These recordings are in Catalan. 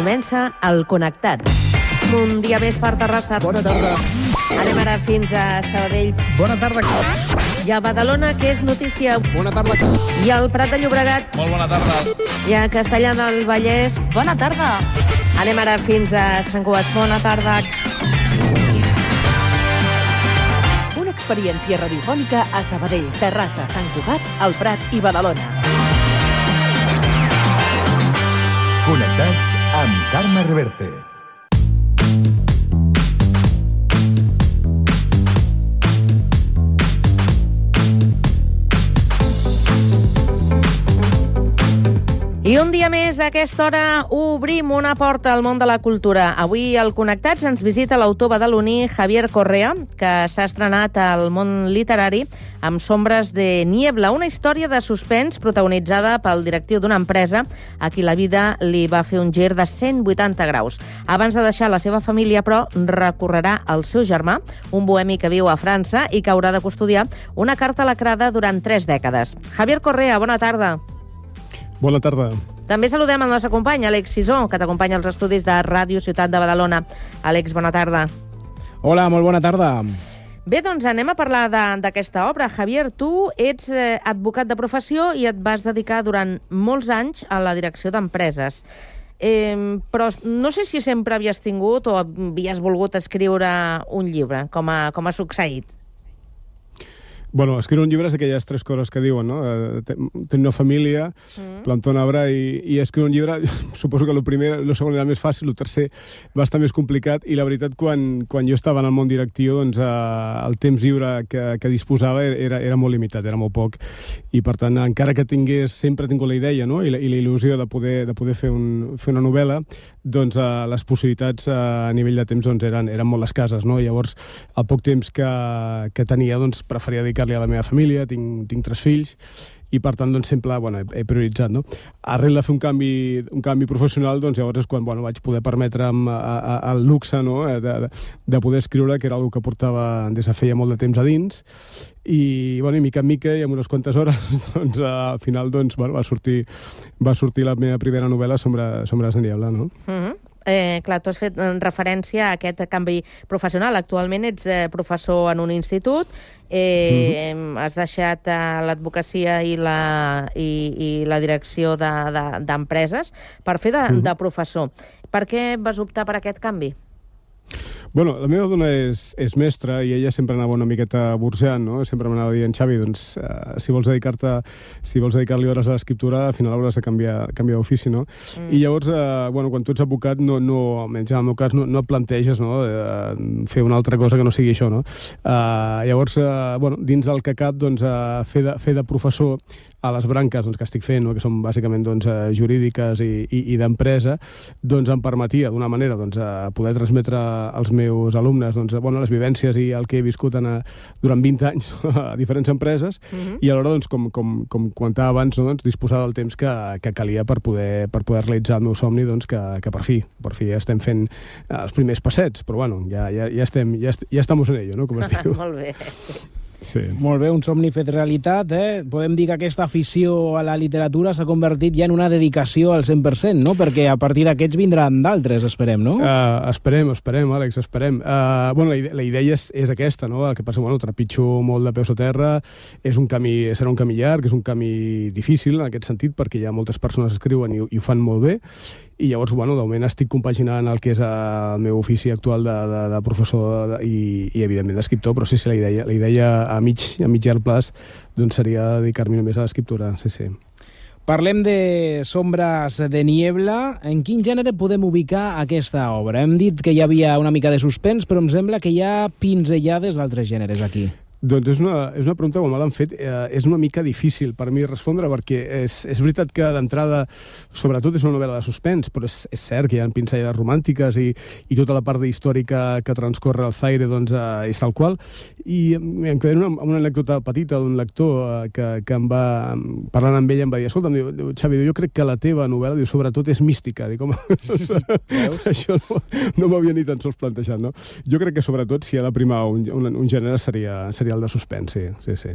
Comença el Connectats. Un dia més per Terrassa. Bona tarda. Anem ara fins a Sabadell. Bona tarda. I a Badalona, que és notícia. Bona tarda. I al Prat de Llobregat. Molt bona tarda. I a Castellà del Vallès. Bona tarda. Anem ara fins a Sant Cugat. Bona tarda. Una experiència radiofònica a Sabadell, Terrassa, Sant Cugat, el Prat i Badalona. Connectats amb Carme Reverte. I un dia més, a aquesta hora, obrim una porta al món de la cultura. Avui al Connectats ens visita l'autor badaloní Javier Correa, que s'ha estrenat al món literari amb Sombres de Niebla, una història de suspens protagonitzada pel directiu d'una empresa a qui la vida li va fer un gir de 180 graus. Abans de deixar la seva família, però, recorrerà al seu germà, un bohemi que viu a França i que haurà de custodiar una carta lacrada durant 3 dècades. Javier Correa, bona tarda. Bona tarda. També saludem el nostre company, Àlex Sisó, que t'acompanya als estudis de Ràdio Ciutat de Badalona. Àlex, bona tarda. Hola, molt bona tarda. Bé, doncs anem a parlar d'aquesta obra. Javier, tu ets advocat de professió i et vas dedicar durant molts anys a la direcció d'empreses. Però no sé si sempre havies tingut o havies volgut escriure un llibre, com ha succeït. Bueno, escriure un llibre és aquelles 3 coses que diuen, no? Tenir una família, plantar un arbre i escriure un llibre. Suposo que el primer, el segon era més fàcil, el tercer va estar més complicat, i la veritat, quan jo estava en el món directiu, doncs el temps lliure que disposava era molt limitat, era molt poc, i per tant, encara que sempre he tingut la idea, no? I la il·lusió de poder fer una novel·la, doncs les possibilitats a nivell de temps doncs, eren molt escasses, no? Llavors, el poc temps que tenia, doncs, preferia dedicar-li a la meva família. Tinc 3 fills, i per tant doncs, sempre he prioritzat, no? Arrel de fer un canvi professional, doncs llavors és quan vaig poder permetre'm el luxe, no? de poder escriure, que era una cosa que portava des de feia molt de temps a dins, i mica en mica i en unes quantes hores doncs, al final doncs, va sortir la meva primera novel·la, Sombres de Niebla, no? Clar, tu has fet referència a aquest canvi professional. Actualment ets professor en un institut, has deixat l'advocacia i la direcció d'empreses per fer de professor. Per què vas optar per aquest canvi? Bueno, la meva dona és mestra i ella sempre anava una miqueta bursejant, no? Sempre m'anava dient, Xavi, doncs, si vols dedicar-li hores a l'escriptura, al final hauràs de canviar d'ofici, no? I llavors, quan tu ets advocat, almenys en el meu cas, no et planteges, no? Fer una altra cosa que no sigui això, no? Llavors, dins del que cap, doncs, fer de professor a les branques que estic fent, que són bàsicament jurídiques i d'empresa, doncs em permetia, d'una manera, poder transmetre als meus alumnes les vivències i el que he viscut durant 20 anys a diferents empreses, i alhora, com comentava abans, disposar del temps que calia per poder realitzar el meu somni, que per fi estem fent els primers passets, però ja estamos en ello, no? Com es diu. Molt bé. Sí. Molt bé, un somni fet realitat, Podem dir que aquesta afició a la literatura s'ha convertit ja en una dedicació al 100%, no? Perquè a partir d'aquests vindran d'altres, esperem, no? Esperem, Àlex, esperem. La idea és aquesta, no? El que passa, trepitjo molt de peus a terra, serà un camí llarg, és un camí difícil en aquest sentit, perquè hi ha moltes persones que escriuen i ho fan molt bé, i llavors, de moment estic compaginant el que és el meu ofici actual de professor i evidentment, d'escriptor, però sí, la idea a mig llarg plaç doncs seria dedicar-me només a l'escriptura, sí. Parlem de Sombres de Niebla. En quin gènere podem ubicar aquesta obra? Hem dit que hi havia una mica de suspens, però em sembla que hi ha pinzellades d'altres gèneres aquí. Doncs és una pregunta, com me l'han fet, és una mica difícil per mi respondre, perquè és veritat que d'entrada, sobretot és una novel·la de suspens, però és cert que hi ha pinzellades romàntiques i tota la part històrica que transcorre al Zaire és tal qual. I em quedaré amb una anècdota petita d'un lector que em va, parlant amb ell, em va dir, escolta'm, Xavi, jo crec que la teva novel·la, sobretot és mística. Dic, home, això no m'havia ni tan sols plantejat, no? Jo crec que sobretot si ha de primar un gènere seria el de suspens, sí.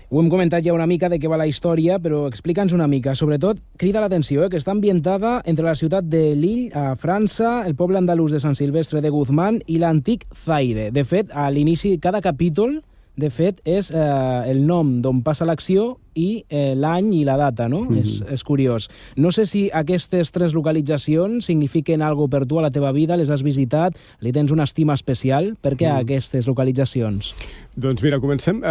Ho hem comentat ja una mica de què va la història, però explica'ns una mica. Sobretot, crida l'atenció, que està ambientada entre la ciutat de Lille, a França, el poble andalús de Sant Silvestre de Guzmán i l'antic Zaire. De fet, a l'inici, cada capítol, de fet, és el nom d'on passa l'acció i l'any i la data, no? És curiós. No sé si aquestes 3 localitzacions signifiquen alguna cosa per tu a la teva vida, les has visitat, li tens una estima especial. Per què aquestes localitzacions? Doncs mira, comencem,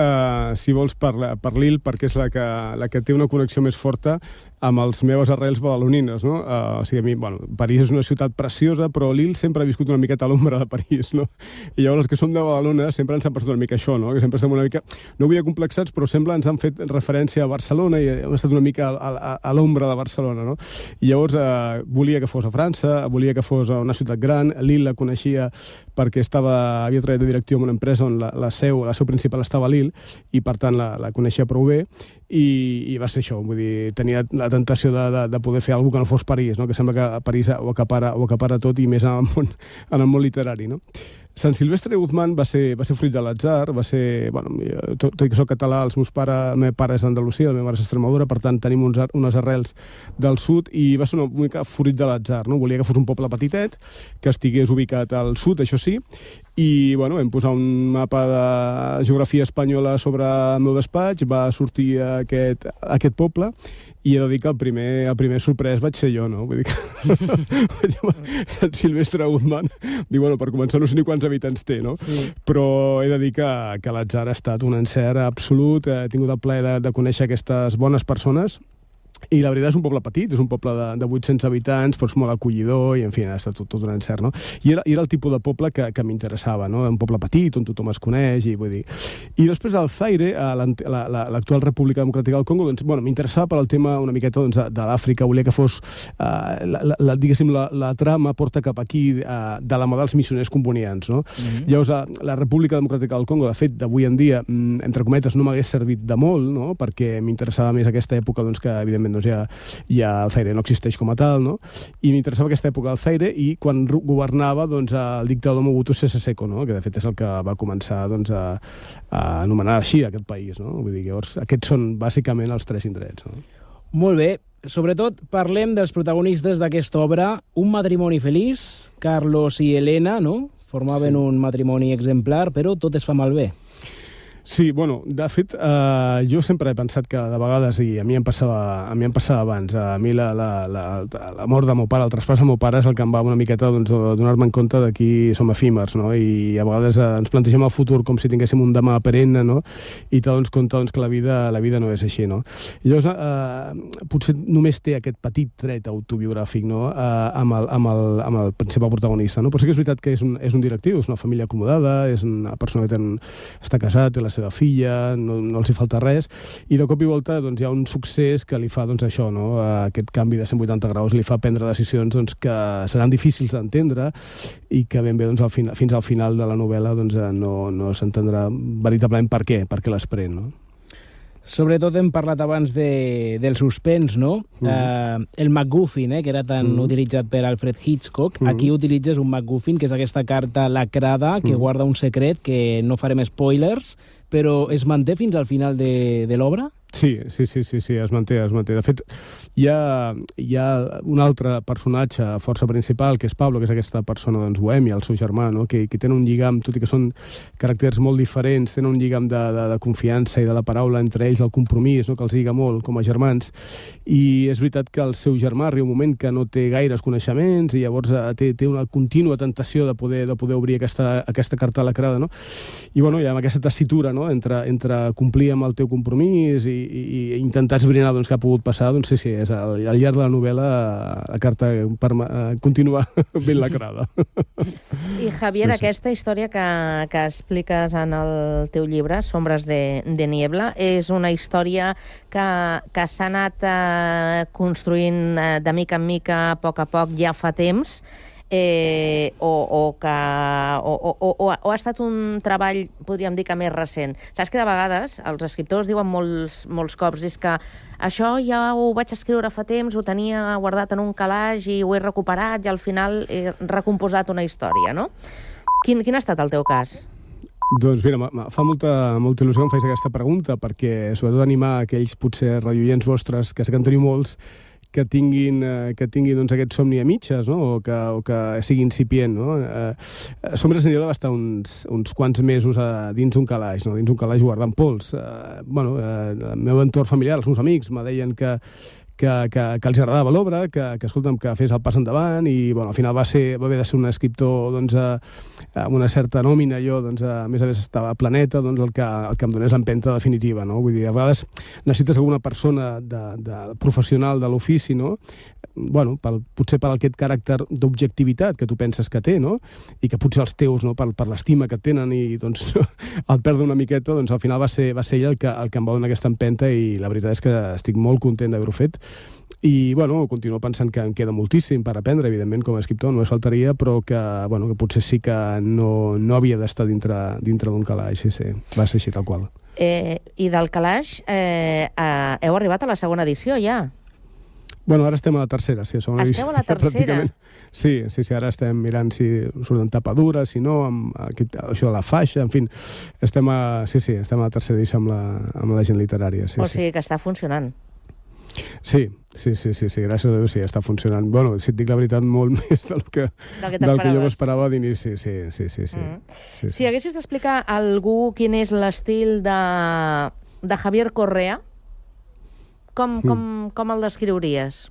si vols, per Lille, perquè és la que té una connexió més forta amb les meves arrels badalonines, no? O sigui, a mi, bueno, París és una ciutat preciosa, però Lille sempre ha viscut una miqueta a l'ombra de París, no? I llavors els que som de Badalona sempre ens han passat una mica això, no? Que sempre estem una mica, no vull dir complexats, però sembla ens han fet referència a Barcelona i hem estat una mica a l'ombra de Barcelona, no? I llavors volia que fos a França, volia que fos a una ciutat gran, Lille la coneixia perquè havia treballat de directiu en una empresa on la seu principal estava a Lille i per tant la coneixia prou bé i va ser això, vull dir, tenia la tentació de poder fer alguna cosa que no fos París, no? Que sembla que París ho acapara tot i més en el món literari, no? Sant Silvestre de Guzmán va ser fruit de l'atzar, va ser, bueno, tot i que soc català, el meu pare és d'Andalusia, la meva mare és d'Extremadura, per tant tenim unes arrels del sud i va ser una mica fruit de l'atzar, no? Volia que fos un poble petitet, que estigués ubicat al sud, això sí, i bueno, vam posar un mapa de geografia espanyola sobre el meu despatx, va sortir aquest poble i he de dir que el primer sorprès vaig ser jo, no? Vull dir que Sant Silvestre de Guzmán, dic, bueno, per començar no sé ni quants habitants té, no? Sí. Però he de dir que l'atzar ha estat un encert absolut, he tingut el plaer de conèixer aquestes bones persones. I la veritat és un poble petit, és un poble de 800 habitants, però és molt acollidor i, en fi, ha estat tot un encert, no? I era el tipus de poble que m'interessava, no? Un poble petit, on tothom es coneix, i vull dir... I després al Zaire, l'actual República Democràtica del Congo, doncs, bueno, m'interessava per al tema una miqueta doncs, de l'Àfrica, volia que fos, diguéssim, la trama porta cap aquí de la mà dels missioners combonians, no? Llavors, la República Democràtica del Congo, de fet, d'avui en dia, entre cometes, no m'hagués servit de molt, no? Perquè m'interessava més aquesta època, doncs, que, evidentment, doncs ja el Zaire no existeix com a tal, no? I m'interessava aquesta època del Zaire i quan governava doncs, el dictador Mobutu Sese Seko, no? Que de fet és el que va començar doncs, a anomenar així aquest país, no? Vull dir, llavors, aquests són bàsicament els 3 indrets, no? Molt bé. Sobretot parlem dels protagonistes d'aquesta obra. Un matrimoni feliç, Carlos i Elena, no? Formaven un matrimoni exemplar, però tot es fa malbé. Sí, bueno, de fet, jo sempre he pensat que de vegades, i a mi em passava abans, a mi la mort del meu pare, el traspàs del meu pare és el que em va una miqueta doncs, donar-me en compte de qui som efímers, no? I a vegades ens plantegem el futur com si tinguéssim un demà perenne, no? I t'adones compte doncs, que la vida no és així, no? I llavors, potser només té aquest petit tret autobiogràfic, no? Amb el principal protagonista, no? Però sí que és veritat que és un directiu, és una família acomodada, és una persona que està casat, té la seva filla, no els hi falta res, i de cop i volta doncs, hi ha un succés que li fa doncs, això, no? Aquest canvi de 180 graus li fa prendre decisions doncs, que seran difícils d'entendre i que ben bé doncs, fins al final de la novel·la doncs, no s'entendrà veritablement per què les pren, no? Sobretot hem parlat abans del suspens, no? El MacGuffin, que era tan utilitzat per Alfred Hitchcock. Aquí utilitzes un MacGuffin, que és aquesta carta lacrada que guarda un secret, que no farem spoilers, però es manté fins al final de l'obra? Sí, es manté. De fet, hi ha un altre personatge força principal, que és Pablo, que és aquesta persona doncs, bohèmia, el seu germà, no? que tenen un lligam, tot i que són caràcters molt diferents, tenen un lligam de confiança i de la paraula entre ells, el compromís, no? Que els lliga molt com a germans. I és veritat que el seu germà arriba un moment que no té gaires coneixements i llavors té una contínua tentació de poder obrir aquesta carta lacrada, no? I bueno, hi ha aquesta tessitura, no? entre complir amb el teu compromís i intentar esbrinar doncs, què ha pogut passar, doncs sí, és al llarg de la novel·la la carta continua ben lacrada. I Javier, aquesta història que expliques en el teu llibre, Sombres de Niebla, és una història que s'ha anat construint de mica en mica, a poc, ja fa temps, o ha estat un treball, podríem dir que més recent. Saps que de vegades els escriptors diuen molts cops és que això ja ho vaig escriure fa temps, ho tenia guardat en un calaix i ho he recuperat i al final he recomposat una història, no? Quin ha estat el teu cas? Doncs mira, fa molta il·lusió que em facis aquesta pregunta, perquè sobretot animar aquells potser radioients vostres, que sé que en teniu molts, que tinguin doncs, aquest somni a mitges, no? o que sigui incipient. No? Sombres en Lleó va estar uns quants mesos dins un calaix, no? Dins un calaix guardant pols. El meu entorn familiar, els meus amics, me deien que els agradava l'obra, que escolta'm, que fes el pas endavant, i bueno, al final va haver de ser un escriptor doncs, amb una certa nòmina. Jo, doncs, a més estava a Planeta, doncs, el que em donés l'empenta definitiva. No? Vull dir, a vegades necessites alguna persona professional de l'ofici, no? Bueno, potser per aquest caràcter d'objectivitat que tu penses que té, no? I que potser els teus, no? per l'estima que tenen, i doncs al perdre una miqueta, doncs al final va ser ell el que em va donar aquesta empenta, i la veritat és que estic molt content d'haver-ho fet. I, bueno, continuo pensant que em queda moltíssim per aprendre, evidentment, com a escriptor, no es faltaria, però que potser sí que no havia d'estar dintre d'un calaix, sí, va ser així tal qual. I del calaix heu arribat a la segona edició, ja? Bueno, ara estem a la tercera, sí. Esteu a la tercera? Sí, ara estem mirant si surten tapadures, si no, això de la faixa, en fi, estem a la tercera edició amb la gent literària. Sí, o sigui que està funcionant. Sí, gràcies a Déu sí, està funcionant. Bueno, si et dic la veritat, molt més del que jo m'esperava d'inici, sí. Si haguessis d'explicar a algú quin és l'estil de Javier Correa, com el descriuries?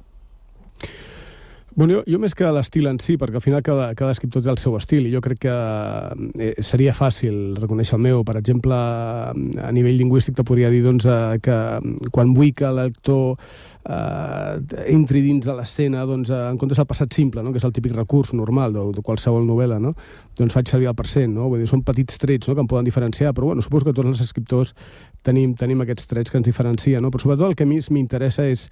Bueno, jo més que l'estil en si, perquè al final cada escriptor té el seu estil, i jo crec que seria fàcil reconèixer el meu. Per exemple, a nivell lingüístic te podria dir doncs, que quan vull que el lector entri dins de l'escena, doncs, en comptes del passat simple, no? Que és el típic recurs normal de qualsevol novel·la, no? Doncs faig servir el present, no? Vull dir, són petits trets, no? Que em poden diferenciar, però bueno, suposo que tots els escriptors tenim aquests trets que ens diferencien, no? Però sobretot el que a mi m'interessa és,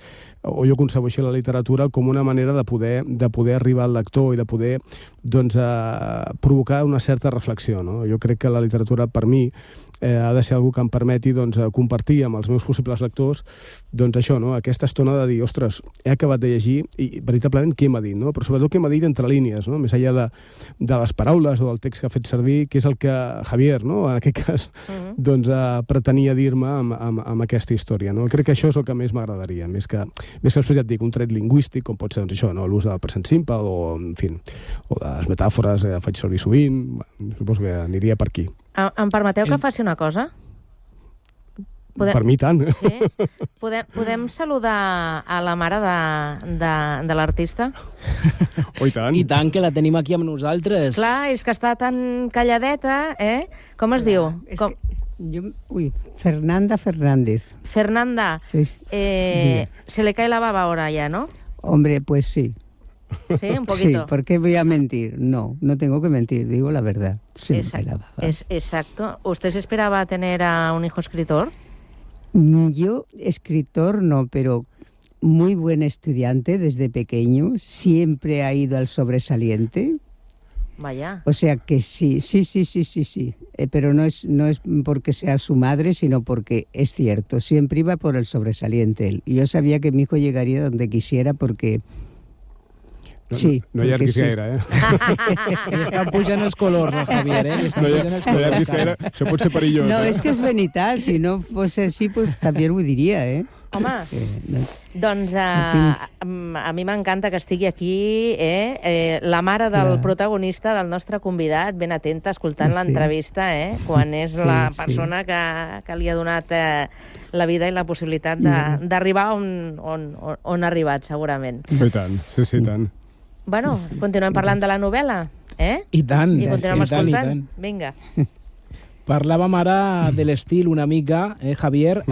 o jo concebo així la literatura, com una manera de poder arribar al lector i de poder doncs, provocar una certa reflexió, no? Jo crec que la literatura, per mi, ha de ser algú que em permeti doncs, compartir amb els meus possibles lectors doncs, això, no? Aquesta estona de dir, ostres, he acabat de llegir i veritablement què m'ha dit, no? Però sobretot què m'ha dit entre línies, no? Més enllà de les paraules o del text que ha fet servir, que és el que Javier, no? En aquest cas, doncs, pretenia dir-me amb aquesta història, no? Crec que això és el que més m'agradaria, més que ja et dic, un tret lingüístic, com pot ser doncs, això, no? L'ús del present simple o, en fi, o de les metàfores que faig servir sovint. Suposo que aniria per aquí. Em permeteu que faci una cosa? Per mi tant. Sí? Podem saludar a la mare de l'artista? Oh, i tant. I tant, que la tenim aquí amb nosaltres. Clar, és que està tan calladeta, eh? Com es diu? Fernanda Fernández. Fernanda, Sí. se le cae la baba ahora ya, ¿no? Hombre, pues sí. Sí, un poquito. Sí, ¿por qué voy a mentir? No tengo que mentir, digo la verdad. Sí, me cae la baba. Exacto. ¿Usted se esperaba tener a un hijo escritor? Yo, escritor no, pero muy buen estudiante desde pequeño. Siempre ha ido al sobresaliente. Vaya. O sea que sí. Pero no es porque sea su madre, sino porque es cierto. Siempre iba por el sobresaliente él. Y yo sabía que mi hijo llegaría donde quisiera porque... Sí, no allarguis gaire, Li estan pujant els colors, no, Javier, No allarguis gaire, això pot ser perillós. No, es que es venital, si no fuese así, pues también ho diria, Home, doncs a mi m'encanta que estigui aquí la mare del protagonista, del nostre convidat, ben atenta, escoltant l'entrevista, quan és la persona que li ha donat la vida i la possibilitat d'arribar on ha arribat, segurament. I tant, sí, tant. Bueno, continuem parlant de la novel·la, I tant. I continuem escoltant. Vinga. Parlàvem ara de l'estil una mica, Javier.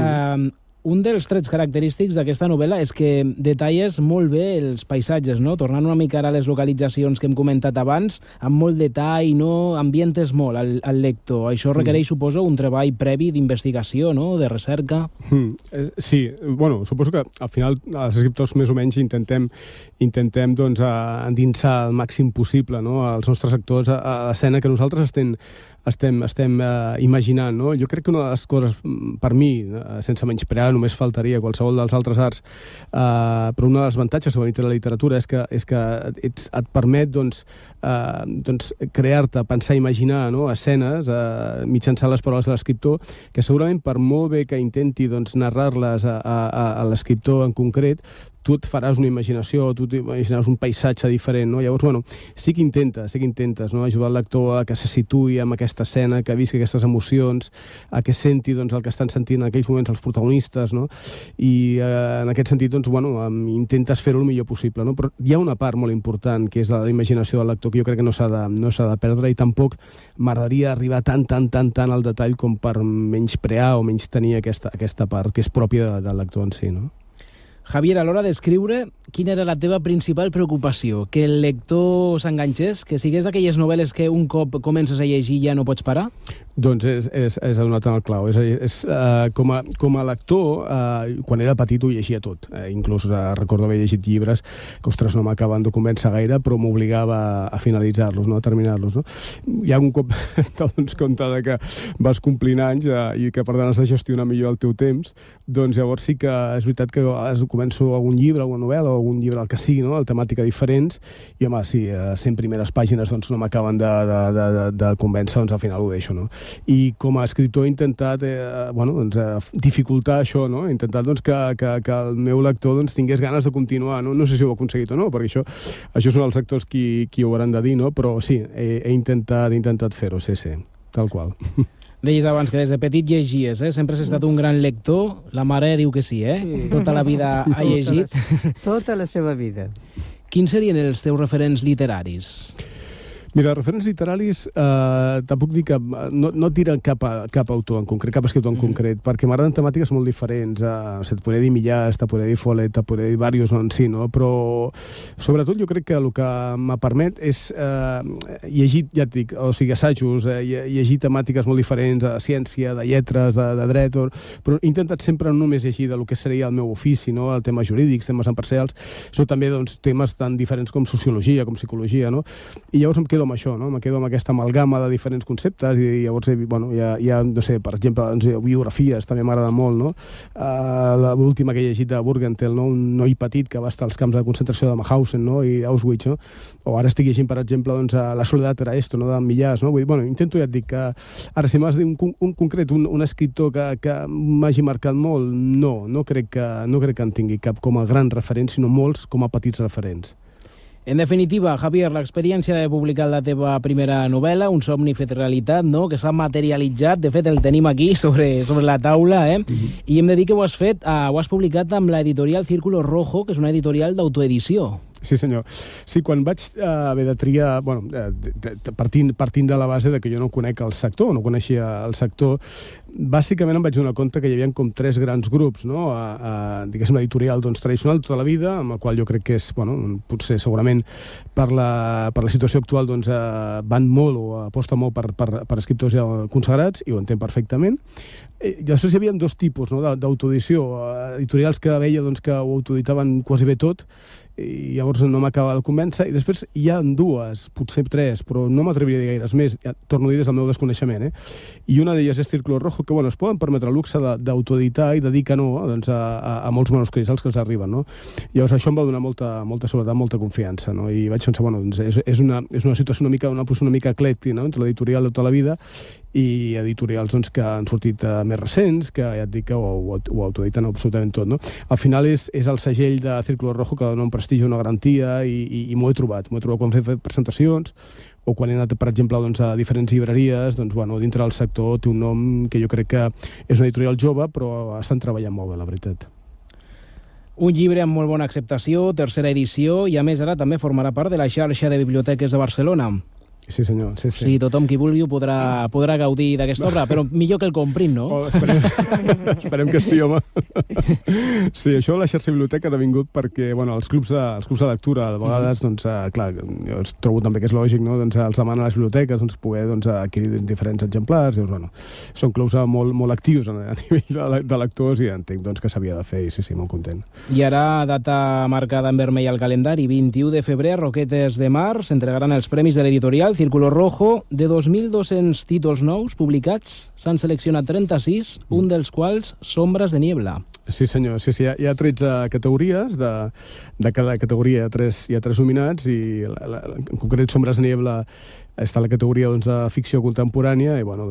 Un dels trets característics d'aquesta novel·la és que detalles molt bé els paisatges, no? Tornant una mica a les localitzacions que hem comentat abans, amb molt detall, no? Ambientes molt al lector. Això requereix, suposo, un treball previ d'investigació, no? De recerca. Sí, bueno, suposo que al final els escriptors més o menys intentem doncs, endinsar el màxim possible, no? Els nostres actors a l'escena, que nosaltres estem imaginant, no? Jo crec que una de les coses, per mi, sense menysprear, només faltaria qualsevol dels altres arts, però un dels avantatges que té la literatura és que et permet crear-te, pensar, imaginar, no? Escenes mitjançant les paraules de l'escriptor, que segurament per molt bé que intenti narrar-les a l'escriptor en concret, tu et faràs una imaginació, tu t'imaginaràs un paisatge diferent, no? Llavors, bueno, sí que intentes, no? Ajudar el lector a que se situï en aquesta escena, que visqui aquestes emocions, a que senti el que estan sentint en aquells moments els protagonistes, no? I en aquest sentit, intentes fer-ho el millor possible, no? Però hi ha una part molt important, que és la imaginació del lector, que jo crec que no s'ha de perdre, i tampoc m'agradaria arribar tan al detall com per menysprear o menystenir aquesta part que és pròpia del lector en si, no? Javier, a l'hora d'escriure, quina era la teva principal preocupació? Que el lector s'enganxés? Que sigués d'aquelles novel·les que un cop comences a llegir ja no pots parar? Doncs és donat en el clau. Com a lector, quan era petit ho llegia tot. Inclús recordo haver llegit llibres que, ostres, no m'acaben de convèncer gaire, però m'obligava a finalitzar-los, no? A terminar-los. No? Hi ha un cop t'adones compte que vas complint anys i que, per tant, has de gestionar millor el teu temps, doncs llavors sí que és veritat que començo algun llibre, alguna novel·la o algun llibre, el que sigui, no? El temàtica diferents, i home, sí, 100 primeres pàgines no m'acaben de convèncer, doncs al final ho deixo, no? I com a escriptor he intentat dificultar això, no? He intentat que el meu lector tingués ganes de continuar, no? No sé si ho he aconseguit o no, perquè això són els lectors qui ho hauran de dir, no? Però sí, he intentat fer-ho, sí, tal qual. Deies abans que des de petit llegies, Sempre has estat un gran lector. La mare diu que sí, Sí. Tota la vida ha llegit. Tota la seva vida. Quins serien els teus referents literaris? Mira, referents literaris, tampoc dic que no tiren cap autor en concret, cap escriptor en concret, perquè m'agraden temàtiques molt diferents. Et podria dir Millàs, te podria dir Follett, te podria dir diversos en si, no? Però sobretot jo crec que el que me permet és llegir, ja et dic, o sigui, assajos, llegir temàtiques molt diferents, de ciència, de lletres, de dret, però he intentat sempre no només llegir del que seria el meu ofici, no? El temes jurídics, temes empresarials, sinó també temes tan diferents com sociologia, com psicologia, no? I llavors em quedo amb això, no? Me quedo amb aquesta amalgama de diferents conceptes i llavors hi ha no sé, per exemple, biografies, també m'agrada molt, no? L'última que he llegit de Burgenthal, no? Un noi petit que va estar als camps de concentració de Mauthausen, no? I Auschwitz, no? O ara estic llegint, per exemple, La soledat era esto, no? De Millàs, no? Vull dir, intento, ja et dic, que ara si m'has de dir un concret, un escriptor que m'hagi marcat molt, no crec que en tingui cap com a gran referent, sinó molts com a petits referents. En definitiva, Javier, l'experiència de publicar la teva primera novel·la, Un somni fet realitat, no? Que s'ha materialitzat, de fet el tenim aquí sobre la taula, I hem de dir que ho has publicat amb l'editorial Círculo Rojo, que és una editorial d'autoedició. Sí, senyor. Sí, quan vaig haver de triar, partint de la base de que jo no conec el sector, no coneixia el sector, bàsicament em vaig donar compte que hi havia com 3 grans grups, no? Diguéssim, l'editorial tradicional tota la vida, amb el qual jo crec que és, potser segurament per la situació actual van molt o aposten molt per escriptors ja consagrats, i ho entenc perfectament. I després hi havia 2 tipus, no? D'autoedició, editorials que veia que ho autoeditaven quasi bé tot, i llavors no m'acaba de convèncer, i després hi ha 2, potser 3, però no m'atreviria a dir gaires més, torno a dir des del meu desconeixement, I una d'elles és Círculo Rojo, que es poden permetre el luxe d'autoeditar i de dir que no a molts manuscrits als que els arriben, no? Llavors això em va donar molta seguretat, molta confiança, no? I vaig pensar, és una situació una posició una mica eclèctica, no? Entre l'editorial de tota la vida i editorials que han sortit més recents, que ja et dic que ho autoediten absolutament tot, no? Al final és el segell de Círculo Rojo que dona un prestigi, una garantia, i m'ho he trobat quan he fet presentacions o quan he anat, per exemple, a diferents llibreries, dintre del sector té un nom que jo crec que és una editorial jove, però estan treballant molt bé, la veritat. Un llibre amb molt bona acceptació, 3a edició, i a més ara també formarà part de la xarxa de biblioteques de Barcelona. Sí, senyor. Sí. Sí, tothom qui vulgui podrà gaudir d'aquesta obra, però millor que el comprin, no? Esperem que sí, home. Sí, això de la xarxa biblioteca ha vingut perquè, els clubs de lectura, a vegades, clar, jo trobo també que és lògic, no? Els demanen a les biblioteques poder adquirir diferents exemplars, són clubs molt actius a nivell de lectors, i entenc que s'havia de fer, i sí, molt content. I ara, data marcada en vermell al calendari, 21 de febrer, a Roquetes de Mar, s'entregaran els premis de l'editorial Círculo Rojo. De 2.200 títols nous publicats, s'han seleccionat 36, un dels quals Sombras de Niebla. Sí, senyor. Sí, hi ha 13 categories. De cada categoria hi ha tres nominats i en concret Sombras de Niebla està a la categoria de ficció contemporània i bueno,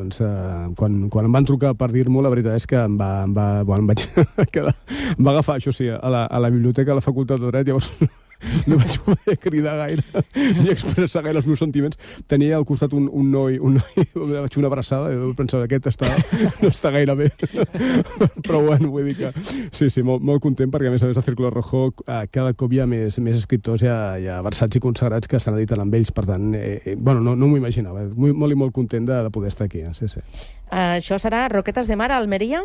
quan em van trucar per dir-m'ho, la veritat és que em vaig quedar, em va agafar, això sí, a la biblioteca de la Facultat de Dret, llavors no vaig poder cridar gaire ni expressar gaire els meus sentiments. Tenia al costat un noi vaig fer una abraçada i pensava que aquest no està gaire bé. Però bueno, vull dir que sí, molt content perquè a més a Círculo Rojo cada cop hi ha més escriptors ja versats i consagrats que estan editant amb ells, per tant, bueno, no m'ho imaginava. Molt i molt content de poder estar aquí. Sí. Això serà Roquetes de Mar, a Almeria?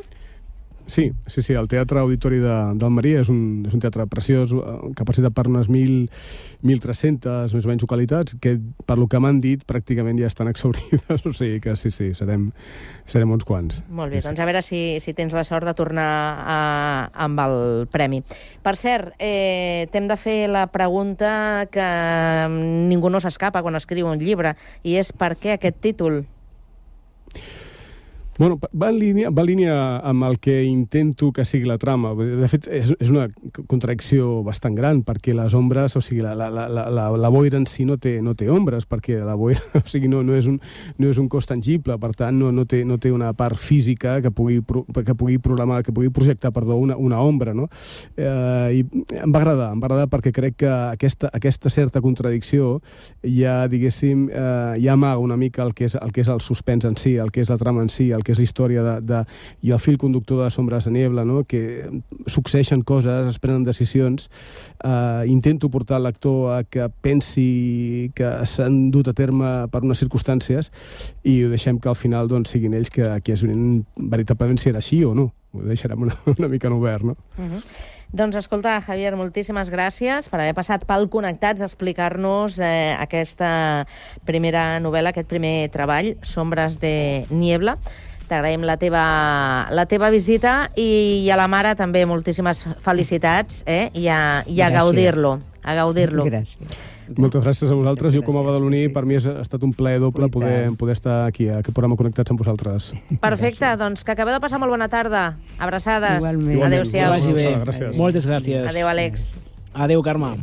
Sí, el Teatre Auditori d'Almeria és un teatre preciós, capacitat per unes 1.300 més o menys localitats, que per lo que m'han dit pràcticament ja estan exhaurides, o sigui que sí, serem uns quants. Molt bé, doncs a veure si tens la sort de tornar amb el premi. Per cert, t'hem de fer la pregunta que ningú no s'escapa quan escriu un llibre, i és per què aquest títol? Bueno, va en línia amb el que intento que sigui la trama. De fet, és una contradicció bastant gran, perquè les ombres, o sigui, la boira en si no té ombres, perquè la boira, o sigui, no és un cos tangible, per tant, no té una part física que pugui projectar, una ombra, no? I em va agradar perquè crec que aquesta certa contradicció ja, diguéssim, ja amaga una mica el que és el suspens en si, el que és la trama en si, el que és la història i el fil conductor de Sombras de Niebla, no? Que succeeixen coses, es prenen decisions. Intento portar el lector a que pensi que s'han dut a terme per unes circumstàncies i ho deixem que al final siguin ells qui es veuen veritablement si era així o no. Ho deixarem una mica en obert, no? Doncs escolta, Javier, moltíssimes gràcies per haver passat pel Connectats a explicar-nos aquesta primera novel·la, aquest primer treball, Sombras de Niebla. T'agraïm la teva visita i a la mare també moltíssimes felicitats i a gaudir-lo. Gràcies. Moltes gràcies a vosaltres. Jo com a badaloní, per mi ha estat un plaer doble poder estar aquí, a aquest programa Connectats amb vosaltres. Perfecte, doncs que acabeu de passar molt bona tarda. Abraçades. Igualment. Adéu-siau. Que vagi bé. Moltes gràcies. Adéu, Àlex. Adéu, Carme.